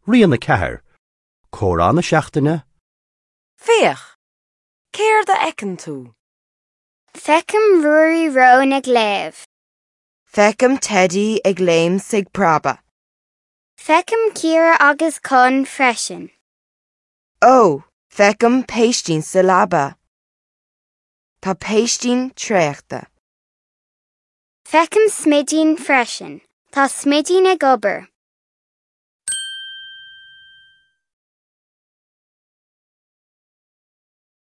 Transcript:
Rian 4, Comhrá na Seachtaine. Féach! Céard a fheiceann tú? Feicim Ruairí Rón ag léamh. Feicim Teidí ag léim 's ag preabadh. Feicim Ciara agus Con freisin. Ó, feicim Péistín sa leaba. Tá Péistín traochta. Feicim Smidín freisin. Tá Smidín ag obair.